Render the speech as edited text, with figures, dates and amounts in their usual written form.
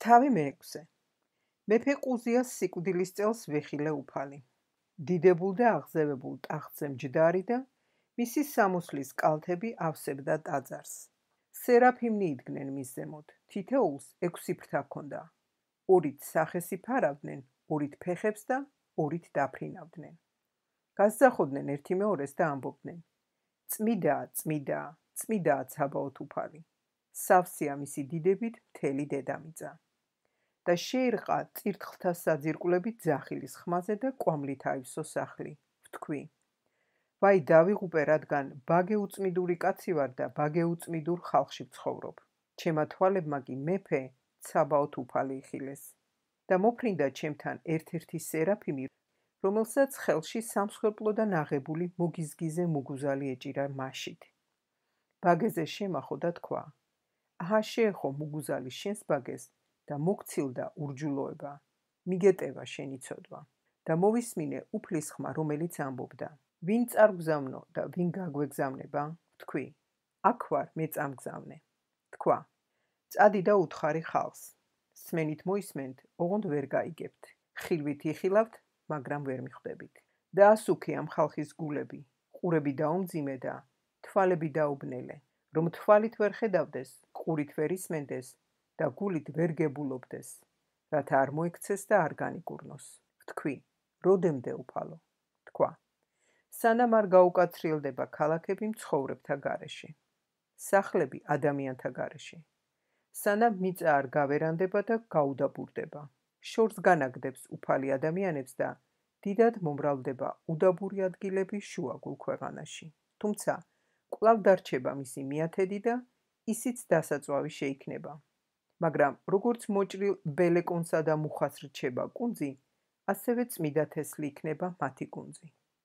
თავი მეექვსე. მეფე ყუზიას სიკვდილის წელს ვეხილე უფალი. დიდებულ და აღზევებულ ტახტზე მჯდარი და მისი სამოსლის კალთები ავსებდა ტაძარს. სერაფიმნი იდგნენ მის ზემოთ, თითოეულს 6 ფრთა ჰქონდა. 2-ით სახეს იფარავდნენ, 2-ით ფეხებს და 2-ით დაფრინავდნენ. გასძახოდნენ ერთი მეორეს და ამბობდნენ: წმიდაა, წმიდაა, წმიდაა ცაბაოთ უფალი. სავსეა მისი დიდებით მთელი დედამიწა. და შეერყა წირთხლთა საძირკვლებით ძახილის ხმაზე და კვამლით აივსო სახლი. ვთქვი: ვაი დავიღუპე, რადგან ბაგე უწმიდური კაცი ვარ და ბაგე უწმიდურ ხალხში ვცხოვრობ. ჩემა თვალებმა კი მეფე ცაბაოთ უფალი იხილეს. და მოფრინდა ჩემთან ერთ-ერთი სერაფიმი, რომელსაც ხელში სამსხვერპლოდან აღებული მოგიზგიზე მუგუზალი ეჭირა მაშით. ბაგეზე შემახო და თქვა: აჰა შეეხო მუგუზალი შენს ბაგეს და მოგცილდა ურჯულოება, მიგეტევა შენი ცოდვა. და მოვისმინე უფლის ხმა, რომელიც ამბობდა: ვინ წარგზავნო და ვინ გაგვეგზავნება? ვთქვი: აქ ვარ, მე წამგზავნე. თქვა: წადი და უთხარი ხალხს. სმენით მოისმენთ, ოღონდ ვერ გაიგებთ. ხილვით იხილავთ, მაგრამ ვერ მიხვდებით. და ასუქე ამ ხალხის გულები, ყურები დაუმძიმე და თვალები დაუბნელე, რომ თვალით ვერ ხედავდეს, ყურით ვერ ისმენდეს და გულით ვერ გებულობდეს, რათა არ მოექცეს და არ განიკურნოს. ვთქვი: როდემდე უფალო? თქვა: სანამ არ გაუკაცრიელდება ქალაქები მცხოვრებთა გარეშე, სახლები ადამიანთა გარეშე, სანამ მიწა არ გავერანდება და გაუდაბურდება, შორს განაგდებს უფალი ადამიანებს და დიდად მომრავლდება უდაბური ადგილები შუაგულ ქვეყანაში. თუმცა კვლავ დარჩება მისი მიათედი და ისიც დასაწვავი შეიქმნება. მაგრამ როგორც მოჭრილ ბელეკონსა და მუხას რჩება კუნძი, ასევე წმიდა თესლი იქნება მათი კუნძი.